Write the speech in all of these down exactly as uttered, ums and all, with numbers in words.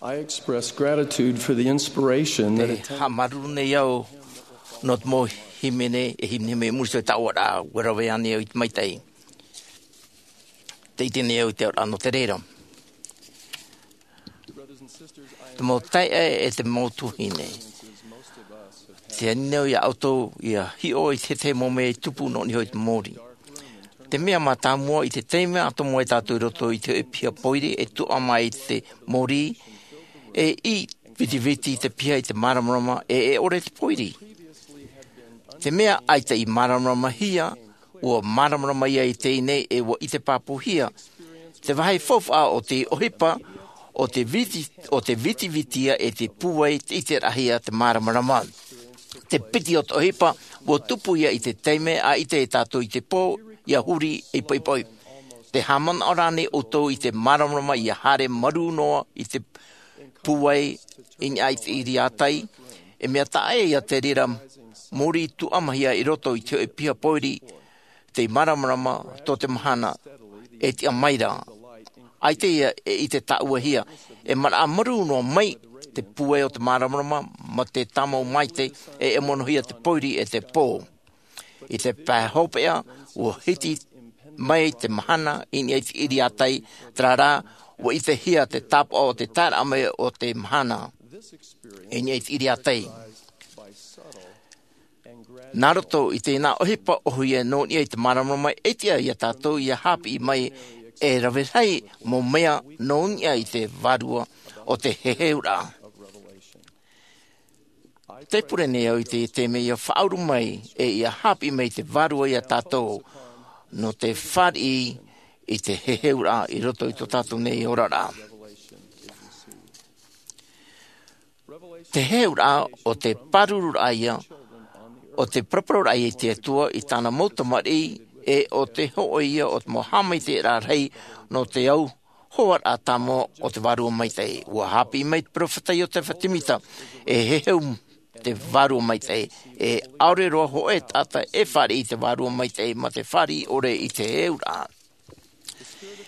I express gratitude for the inspiration that it takes. Haʻamāuruuru nei au nō te mau hīmene e hīmene mai i muri iho i taua ra, ʻua rave ānei au i te maitaʻi. Tē ʻite nei au i te auraʻa nō te reira. Te mau taeaʻe e te mau tuahine, tē ani nei au ia ʻoutou ia hiʻo i te tahi mau mea e tupu nō niʻa i te mōrī. Te mea mātāmua, i te taime atoʻa mai tātou i roto i te hoʻe piha pōiri e tuʻa mai i te mōrī, e ʻī vitiviti te piha i te māramarama e, e ʻore te pōiri. Te mea ʻaita i māramarama hia, ʻua māramarama ia i teie nei e ʻua ʻite pāpūhia. Te vāhi faufaʻa o te ʻohipa, ʻo te viti, ʻo te vitiviti ia e te pūai te ʻiteraʻahia te māramarama. Te piti o te ʻohipa, ʻua tupu ia i te taime ʻaita e tātou i te pō, ia huri ei poipoi. Te haʻamanaʻo rā nei ʻoutou i te māramarama ia haere marū noa i te pūai i niʻa i te ʻiriātai, e mea taʻa ʻē ia te reira mōrī tuʻamahia i roto i te hoʻe piha pōiri, te māramarama tō te mahana, e tiʻa mai ra. ʻAita ia e ʻite tāʻuahia, e maraʻa marū noa mai te pūai o te māramarama, mā te tāmau maitaʻi, e, e monohia te pōiri e te pō. I te pae hopeʻa, ʻua hiti mai te mahana i niʻa i te ʻiriātai, terā rā, ʻua ʻitehia te tāpaʻo o te taeraʻa mai o te mahana i niʻa i te ʻiriātai. Nā roto i tēnā ʻohipa ʻōhie nō niʻa i te māramarama, e tiʻa ia tātou ia haʻapiʻi mai e rave rahi mau mea nō niʻa i te vārua o te heheuraʻa. Tē pure nei au i te, te mea ia faʻauru mai, e ia haʻapiʻi mai te vārua ia tātou, nō te fāriʻi i te heheuraʻa i roto i tō tātou nei oraraʻa. Te heheuraʻa ʻo te pārururaʻa ia, ʻo te paraparau raʻa ia i te Atua i tāna mau tamariʻi, e ʻo te hōʻē ia o te mau haʻamaitaʻiraʻa rahi nō te au hoaraʻa tāmau o te Vārua Maitaʻi. ʻUa haʻapiʻi mai te peropheta Iotefa Semita, e heheu te Vārua Maitaʻi, e ʻaore roa hōʻē taʻata e fāriʻi i te Vārua Maitaʻi, mā te fāriʻi ʻore i te heheuraʻa.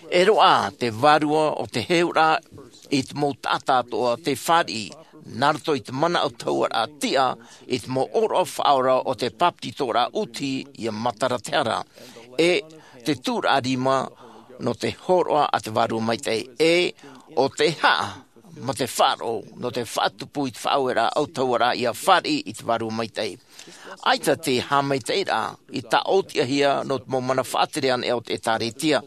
E roaʻa te vārua o te heheuraʻa i te mau taʻata atoʻa tei fāriʻi, nā roto i te mana autahuʻaraʻa tiʻa, i te mau ʻōroʻa faʻaora o te bāpetizoraʻa ʻūtiʻa ia matara te hara, e te tūraʻa rima nō te hōroʻa a te Vārua Maitaʻi, e ʻo te haʻa mā te faʻaroʻo nō te faʻatupu i te faʻaueraʻa autahuʻaraʻa ia fāriʻi i te Vārua Maitaʻi. ʻAita te haʻamaitaʻiraʻa i tāʻōtiʻahia nō te mau mana faʻatere anaʻe o te ʻĒtārētia.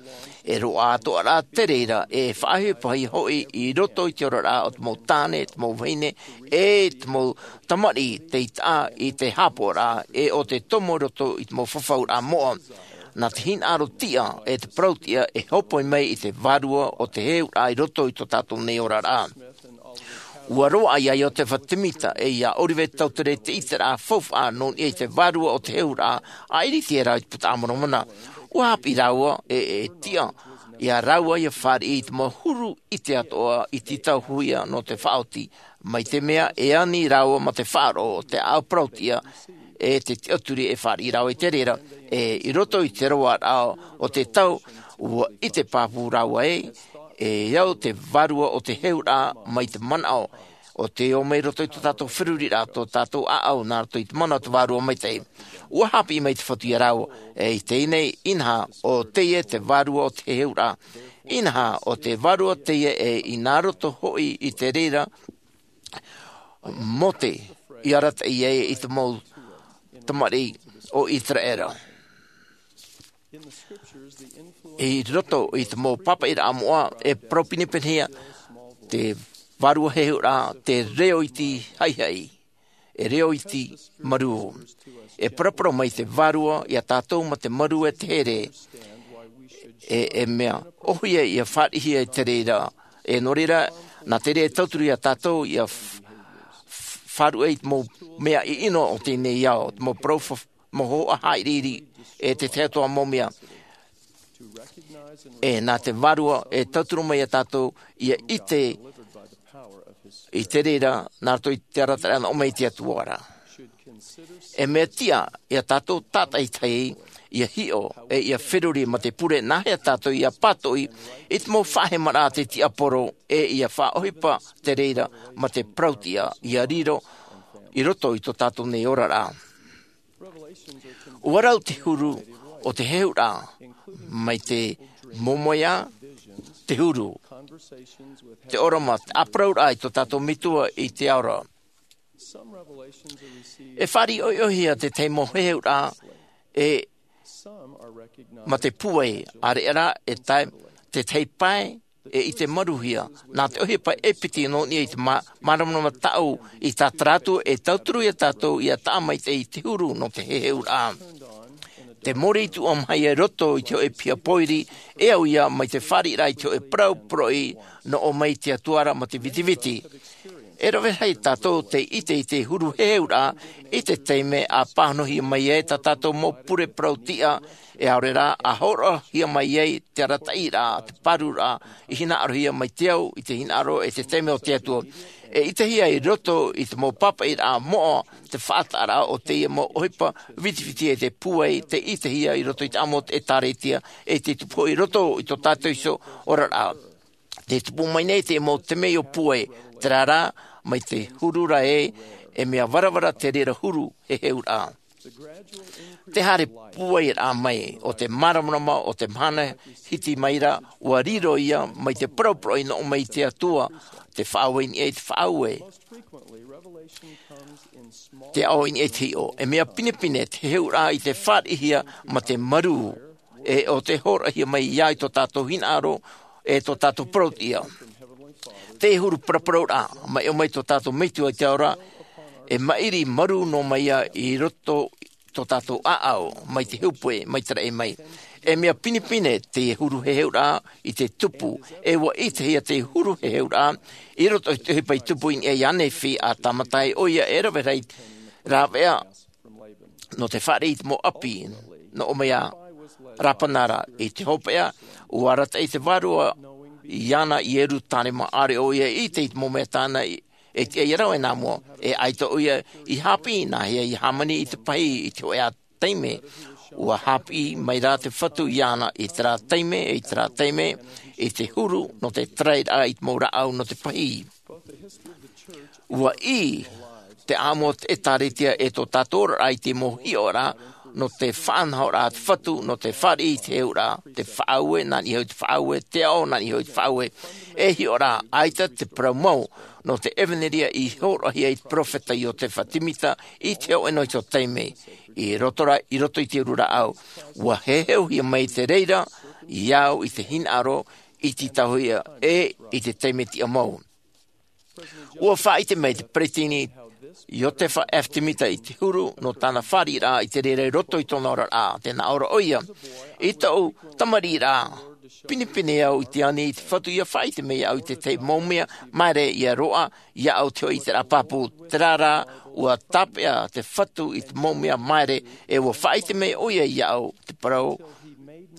E roaʻa atoʻa rā te reira, e faʻaʻohipa hoʻi i roto i te oraraʻa o te mau tāne, te mau vahine, e te mau tamariʻi tei taʻa i te haʻapaʻoraʻa, e ʻo te tomo i roto i te mau fafauraʻa moʻa. Nā te hinaʻaro tiʻa, e te parau tiʻa, e hōpoi mai i te vārua o te heheuraʻa i roto i tō tātou nei oraraʻa. ʻUa roaʻa ia Iotefa Semita, e ia Oliver Cowdery te ʻiteraʻa faufaʻa nō niʻa i te vārua o te heheuraʻa, a ʻIriti e rā i te Puta a Moromona. ʻUa haʻapiʻi rāua, e, e tiʻa ia rāua ia fāriʻi i te mau huru ʻite atoʻa i te tauhuia nō te faʻaoti, mai te mea e ani rāua mā te faʻaroʻo, te ʻāʻau parau tiʻa, e te tiʻaturi e fāriʻi rāua i te reira, e i roto i te roaraʻa o te tau, ʻua ʻite pāpū rāua ē, e au te vārua o te heheuraʻa mai te manaʻo, ʻo tei ō mai roto i tō tātou feruriraʻa, tō tātou ʻāʻau, nā roto i te mana o te Vārua Maitaʻi. ʻUa haʻapiʻi mai te Fatu ia rāua, e i teie nei, inaha, ʻo teie te vārua o te heheuraʻa. Inaha, ʻo te vārua teie e i nā roto hoʻi i te reira, Mose i arataʻi ai i te mau tamariʻi o Iseraela. I roto i te mau pāpaʻiraʻa moʻa, e parau pinepinehia te vārua heheuraʻa, te reo iti haʻihaʻi, e reo iti marū. E paraparau mai te vārua ia tātou mā te marū e te here, e, e mea ʻōhie ia fāriʻihia i te reira, e nō reira, nā te reira e tauturu ia tātou ia f-, f-, faʻaruʻe i te mau mea ʻino o teie nei ao, te mau parau fa-, mau hōhoʻa haʻiriʻiri, e te tahi atoʻa mau mea. E nā te vārua e tauturu mai ia tātou ia ʻite i te reira, nā roto i te arataʻiraʻa nō ʻō mai i te Atua ra. E mea tiʻa ia tātou tātaʻitahi, ia hiʻo e ia feruri ma te pure nā hea tātou ia pātoʻi i te mau faʻahemaraʻa a te tiaporo, e ia faʻaʻohipa te reira ma te parauʻtiʻa ia riro i roto i tō tātou nei oraraʻa. Ua rau te huru o te heheuraʻa mai te momoea, te huru, te ʻōrama, te ʻāparauraʻa i tō tātou metua i te ao ra. E fāriʻi ʻoiʻoihia te tahi mau heheuraʻa e ma te pūai, ʻāreʻa rā e tae te tahi pae e ʻite maruhia nā te ʻohipa e piti nō niʻa i te mā- māramarama tāʻu i tātaratu e tauturu ia tātou ia taʻa maitaʻi i te huru nō te heheuraʻa. Te mōrī tuʻa maha ia i roto i te hoʻe piha pōiri, e au ia mai te fāriʻiraʻa i te hoʻe parau poroʻi nō ʻō mai te atua ra ma te vitiviti. E rave rahi tātou te ʻite i te huru heheuraʻa i te taime a pāhonohia mai ai tā tātou mau pure parauʻtiʻa, e aore rā a hōroʻahia mai ai te arataʻiraʻa, te pāruraʻa i hinaʻarohia mai te au i te hinaʻaro e te taime o te atua. E ʻitehia i roto i te mau pāpaʻiraʻa moʻa te faʻataʻaraʻa o teie mau ʻohipa vitiviti e te pūai te ʻitehia i roto i te ʻāmui o te ʻēkālesia e te tupu i roto i tō tātou iho oraraʻa. Te tupu mai nei te mau temeio pūai, terā rā mai te huru ra e e mea varavara te reira huru heheuraʻa. Te haere pūai raʻa mai o te māramarama o te mahana hiti mai ra, ua riro ia mai te parauparau i nō ʻō mai i te atua, te faʻaue i niʻa i te faʻaue, te aʻo i niʻa i te hiʻo. E mea pinepine te heheuraʻa i te fāriʻihia ma te marū e o te hōroʻahia mai ia i tō tātou hinaʻaro e tō tātou parauʻtiʻa. Te huru paraparauraʻa mai ʻō mai tō tātou metua i te ao ra, e maʻiri marū nō mai ia i roto tō tātou ʻāʻau mai te hupe mai te raʻi mai. E mea pinepine te huru heheuraʻa i te tupu, e ua ʻitehia te huru heheuraʻa i roto i te ʻohipa i tupu i niʻa i a nephi a tāmata ai ʻo ia e rave rahi rāveʻa nō te fāriʻi i te mau ʻapi nō ʻō mai a rapana ra i te hopeʻa. Ua arataʻi te vārua i ana i ierusalema ʻaore ʻo ia i ʻite i te mau mea tāna e tiʻa ia rave nā mua. E ʻaita ʻo ia i hāpiʻi nā hea ia hāmani i te pahī i te hoʻe taime. Ua hāpiʻi mai rā te fatu i ana i terā taime, i terā taime i te huru nō te tarairaʻa i te mau rāʻau nō te pahī. Ua ʻī te ʻāmui o te ʻēkālesia e tō tātou oraraʻa i te mau hiʻoraʻa nō te faʻanahoraʻa a te fatu, nō te fāriʻi i te heheuraʻa, te faʻaue nā niʻa iho i te faʻaue, te aʻo nā niʻa iho i te faʻaue. E hiʻoraʻa ʻaita te parau mau nō te ʻevanelia i hōroʻahia i te peropheta iosefa semita i te hōʻē noa iho taime. I roto ra i roto i te uru rāʻau ua heheuhia mai te reira i au i te hinaʻaro i te tauhia e i te taime tiʻa mau. Ua faʻaʻite mai te peresideni iosefa f semita i te huru nō tāna fāriʻiraʻa i te reira i roto i tōna oraraʻa. Tē nā ʻō ra ʻo ia, i tōʻu tamariʻiraʻa, pinepine au i te ani i te fatu ia faʻaʻite mai au i te tahi mau mea maere ia roaʻa ia au te hoʻe ʻiteraʻa pāpū. Terā rā ua tāpeʻa te fatu i te mau mea maere e ua faʻaʻite mai ʻo ia ia au te parau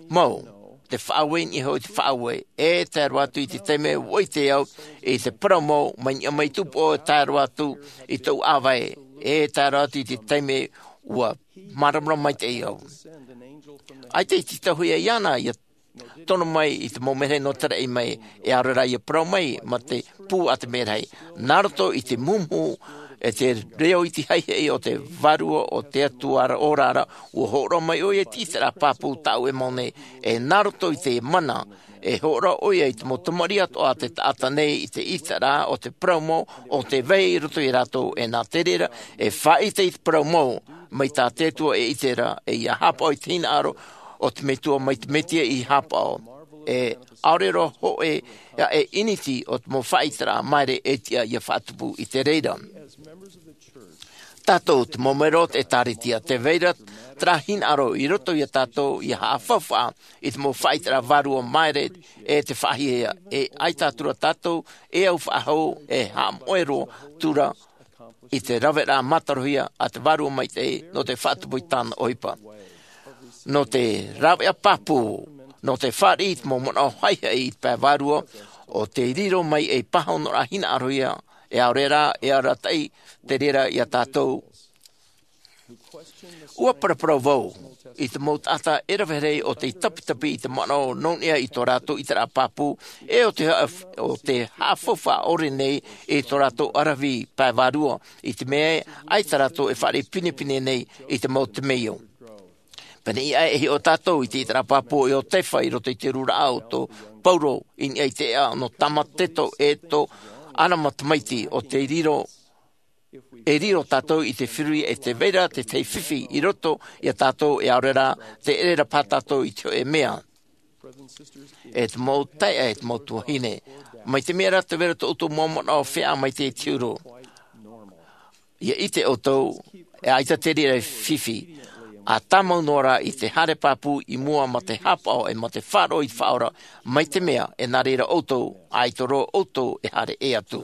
mau, te faʻaue i niʻa iho i te faʻaue. E tae roa atu i te taime ua ʻite au i te parau mau mai niʻa mai tupu ʻo e tae roa atu i tōʻu ʻāvae. E tae roa atu i te taime ua māramarama maitaʻi au. ʻAita i te tauhia i ana ia tono mai i te mau merahi nō te raʻi mai, e aore rā ia parau mai ma te pū a te merahi. Nā roto i te mumuhu e te reo i te haihai o te vārua o te atua ora ra, ua hōroʻa mai ʻo ia i te ʻiteraʻa pāpū tāʻu e mau nei. E nā roto i te mana e hōroʻa ʻo ia i te mau tamariʻi atoʻa a te taʻata nei i te ʻiteraʻa o te parau mau o te vai i roto ia rātou. E nā te reira e faʻaʻite i te parau mau mai tā te atua e ʻite ra e ia hapaʻo i te hinaʻaro o te metua mai te mesia i hapaʻo. E ʻaore roa hoʻi ia e ʻiniti o te mau faʻaʻiteraʻa maere e tiʻa ia faʻatupu i te reira. Tātou te mau mero o te ʻēkālesia, tē vai ra terā hinaʻaro i roto ia tātou ia haʻafaufaʻa i te mau faʻaʻiteraʻa vārua maere e te faʻahiahia. E ʻaita atu ra tātou e au faʻahou e haʻamoʻe roa atu ra i te raveraʻa mātarohia a te vārua maitaʻi nō te faʻatupu i tāna ʻohipa, nō te rāveʻa pāpū, nō te fāriʻi i te mau manaʻo haihai i te pae vārua o te riro mai ei pāhonoraʻa hinaʻarohia. E aore rā e arataʻi te reira ia tātou. Ua paraparau vau i te mau taʻata e rave rahi o tei tapitapi i te manaʻo nō niʻa i tō rātou ʻiteraʻa pāpū, e o te haʻa-, o te haʻafaufaʻa ʻore nei i tō rātou ʻaravihi pae vārua, i te mea ē, ʻaita rātou e fāriʻi pinepine nei i te mau temeio. Pēneiaʻe e hiʻo tātou i te ʻiteraʻa pāpū o Iotefa i roto i te hururaʻa o tō Pauro i niʻa i te ʻēʻa nō Tamateto e tō Arama tamaiti, o te riro, e riro tātou i te feruri e tē vai ra te tahi fifi i roto ia tātou, e ʻaore rā, tē ʻere ra paha tātou i te hōʻē mea. E te mau taeaʻe, e te mau tuahine, mai te mea rā tē vai ra tō ʻoutou mau manaʻo feiā maitaʻi i te huru. ʻIa ʻite ʻoutou, e ʻaita te reira e fifi, ʻa tāmau noa rā i te haere pāpū i mua mā te haʻapaʻo e mā te faʻaroʻo i te Faʻaora, mai te mea e nā reira ʻoutou, ʻaita roa ʻoutou e haere ʻē atu.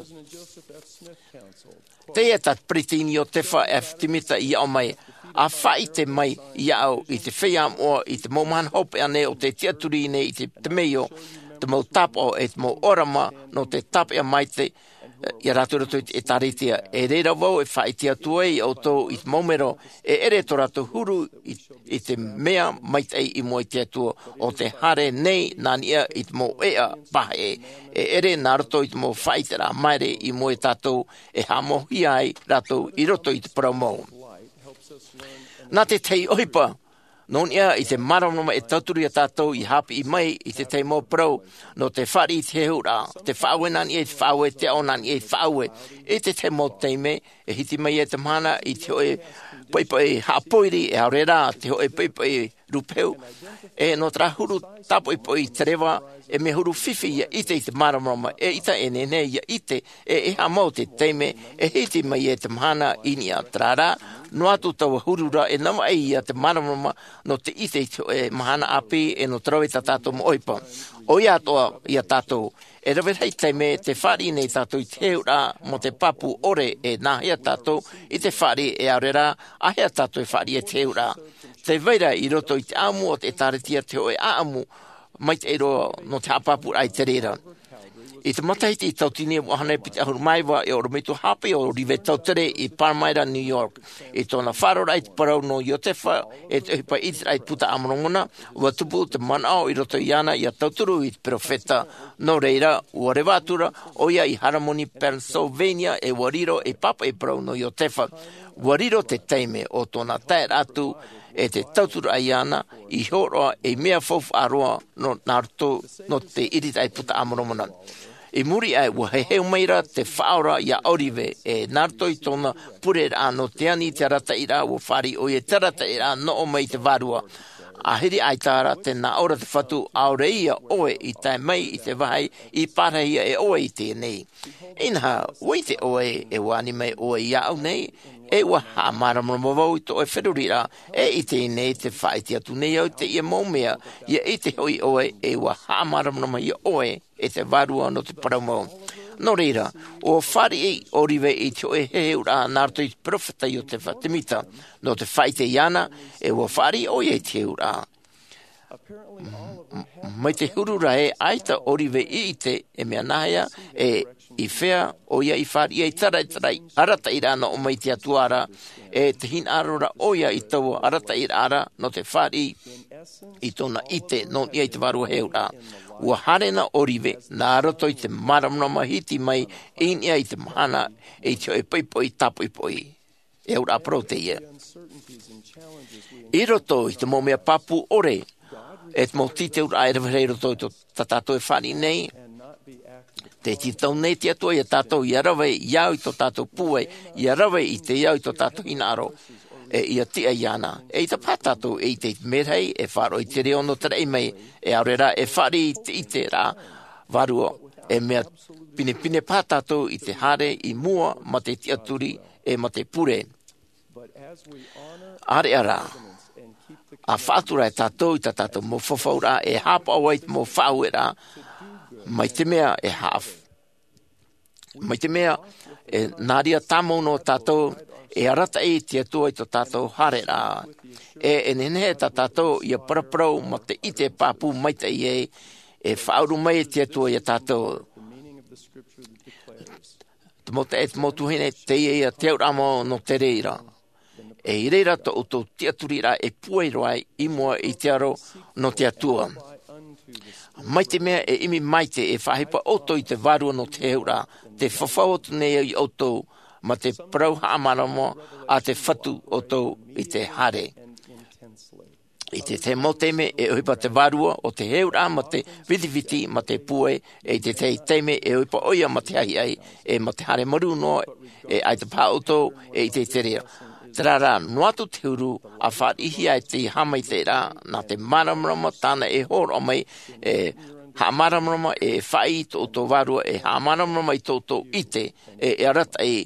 Teie tā Peresideni Iotefa F. Smitha i aʻo mai, ʻa faʻaʻite mai iāʻu i te feiā moʻa i te mau mahana hopeʻa nei o tē tiʻaturi nei i te temeio, te mau tāpaʻo e te mau ʻōrama nō te tāpeʻa maitaʻi ia rātou i roto i te ʻĒtārētia. E reira vau e faʻaʻite atu ai iā ʻoutou i te mau mero, e ʻere tō rātou huru i, i te mea maitaʻi i mua i te Atua, ʻo tē haere nei nā niʻa i te mau ʻēʻa paʻari, e ʻere nā roto i te mau faʻaʻiteraʻa māere i mua iā tātou, e haʻamauhia ai rātou i roto i te parau mau. Nā te tahi ʻohipa, nō niʻa i te māramarama e tauturu iā tātou ʻia haʻapiʻi mai i te tahi mau parau, nō te fāriʻi i te hehuraʻa, te faʻaue nā niʻa i te faʻaue, te aʻo nā niʻa i te faʻaue. I te tahi mau taime, e hiti mai ai te mahana i te hōʻē poʻipoʻi haʻapōiri, e ʻaore rā, te hōʻē poʻipoʻi rūpehu, e nō terā huru tāpoʻipoʻi te reva, e mea huru fifi ʻia ʻite i te māramarama, eʻita e nehenehe ʻia ʻite, e, e haʻamau te taime, e hiti mai ai te mahana i niʻa, terā rā, noa atu taua huru ra e navaʻi ia te māramarama, nō te ʻite i te hōʻē mahana ʻāpī, e nō te rave i tā tātou mau ʻohipa. ʻOia atoʻa iā tātou, e rave rahi taime tē fāriʻi nei tātou i te hehuraʻa mō te pāpū ʻore, e nāhea tātou i te fāriʻi, e ʻaore rā, āhea tātou e fāriʻi i te hehuraʻa. Tē vai ra i roto i te ʻāʻamu o te ʻĒtārētia te hōʻē ʻāʻamu maitaʻi roa nō te haʻapāpūraʻa i te reira. I te matahiti tauatini e vaʻu hānere piti ʻahuru mā iva, e ʻorometua haʻapaʻo ʻo Ōrive Tautere i Palmyra, New York. I tōna faʻaroʻoraʻa i te parau nō Iotefa, e te ʻohipa ʻiteraʻa i te Buka a Moromona, ʻua tupu te manaʻo i roto iāna ʻia tauturu i te peropheta. Nō reira, ʻua reva atu ra ʻoia i Harmony, Pennsylvania, e ʻua riro ei pāpaʻi parau nō Iotefa. ʻUa riro te taime o tōna taeraʻa atu, e te tauturu iāna, i hōroʻa ei mea faufaʻa roa nō, nā roto, nō te ʻiriraʻa i te Buka a Moromona. I muri aʻe, ʻua heheu mai ra te Faʻaora iā Ōrive, e nā roto i tōna pureraʻa nō te ani i te arataʻiraʻa, ʻua fāriʻi ʻoia i te arataʻiraʻa nō ʻō mai i te vārua. ʻĀhiri ʻaita ra tē nā ʻō ra te Fatu, ʻaore ia ʻoe i tae mai i te vāhi i pārahia e ʻoe i teie nei. Inaha, ʻua ʻite ʻoe, e ʻua ani mai ʻoe iāʻu nei, e ʻua haʻamāramarama vau i tō ʻoe feruriraʻa, e i teie nei tē faʻaʻite atu nei au i teie mau mea, ʻia ʻite hoʻi ʻoe, e ʻua haʻamāramarama ia ʻoe, e te Vārua nō te parau mau. Nō reira, ʻua fāriʻi ʻo Ōrive i te hōʻē heheuraʻa nā roto i te peropheta Iotefa Temita, nō te faʻaʻite iāna, e ʻua fāriʻi ʻoia i te heheuraʻa. M-, m-, mai te huru ra ē, ʻaita ʻo Ōrive i ʻite, e mea nāhea, e i fea ʻoia i fāriʻi ai te arataʻi-, arataʻiraʻa nō ʻō mai i te Atua ra, e te hinaʻaro ra ʻoia i taua arataʻiraʻa ra, nō te fāriʻi i tōna ʻite, nō niʻa i te vārua heheuraʻa. ʻUa haere na ʻo Ōrive, nā roto i te māramarama hiti mai, i niʻa i te mahana, i te hōʻē poʻipoʻi tāpoʻipoʻi. E auraʻa parau teie. I roto i te mau mea pāpū ʻore, e te mau tītauraʻa e rave rahi i roto i tō, tā tātou e fāriʻi nei, tē tītau nei te Atua iā tātou, ʻia rave, ʻia au i tō tātou pūai, ʻia rave i te au i tō tātou hinaʻaro, e ʻia tiʻa iāna. ʻEita paha tātou e ʻite i te merahi, e faʻaroʻo i te reo nō te raʻi mai, e ʻaore rā, e fāriʻi i te ʻiteraʻa vārua, e mea pinepine paha tātou i te haere i mua mā te tiʻaturi, e mā te pure. ʻĀreʻa rā, ʻa faʻatura e tātou i tā tātou mau fafauraʻa e haʻapaʻo ai te mau faʻaueraʻa, mai te mea e haʻaf-, mai te mea e nā reira tāmau noa tātou, e arataʻi te Atua i tō tātou haereraʻa. E, e nehenehe tā tātou ʻia paraparau mā te ʻite pāpū maitaʻi ē, e faʻauru mai te Atua iā tātou. Te mau taeaʻe, te mau tuahine, teie ia te auraʻa mau nō te reira. E i reira tō ʻoutou tiʻaturiraʻa e puai roa ai i mua i te aro nō te Atua. Mai te mea e ʻimi maite e faʻaʻohipa ʻoutou i te vārua nō te heheuraʻa, te fafau atu nei au iā ʻoutou ma te parau haʻamāramarama a te Fatu ʻoutou i te haere. I te tahi mau taime e ʻohipa te vārua o te heheuraʻa ma te vitiviti ma te puai, e i te tahi taime e ʻohipa ʻoia ma te haʻihaʻi, e ma te haere marū noa, e ʻaita paha ʻoutou e ʻite i te reira. Terā rā, noa atu te huru, a fāriʻihia ai te haʻamaitaʻiraʻa, nā te māramarama tāna e hōroʻa mai, e haʻamāramarama e faʻaʻī i tō ʻoutou vārua, e haʻamāramarama i tō ʻoutou ʻite, e, e arataʻi,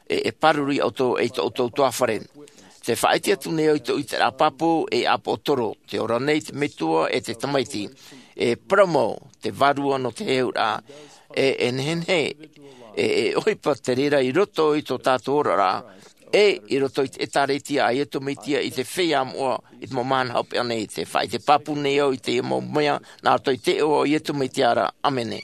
e, e pāruru iā ʻoutou, e i tō ʻoutou tuāfare. Te faʻaʻite atu nei au i tō ʻiteraʻa pāpū, e ʻāpoʻotoro, te ora nei te Metua, e te Tamaiti, e parau mau, te vārua nō te heheuraʻa, e, e nehenehe, e, e ʻohipa te reira i roto i tō tātou oraraʻa, e i roto i te ʻĒtārētia a Iesu Mesia i te feiā moʻa, i te mau mahana hopeʻa nei, te faʻaʻite pāpū nei au i te mau mea, nā roto i te iʻoa o Iesu Mesia ra, ʻāmene.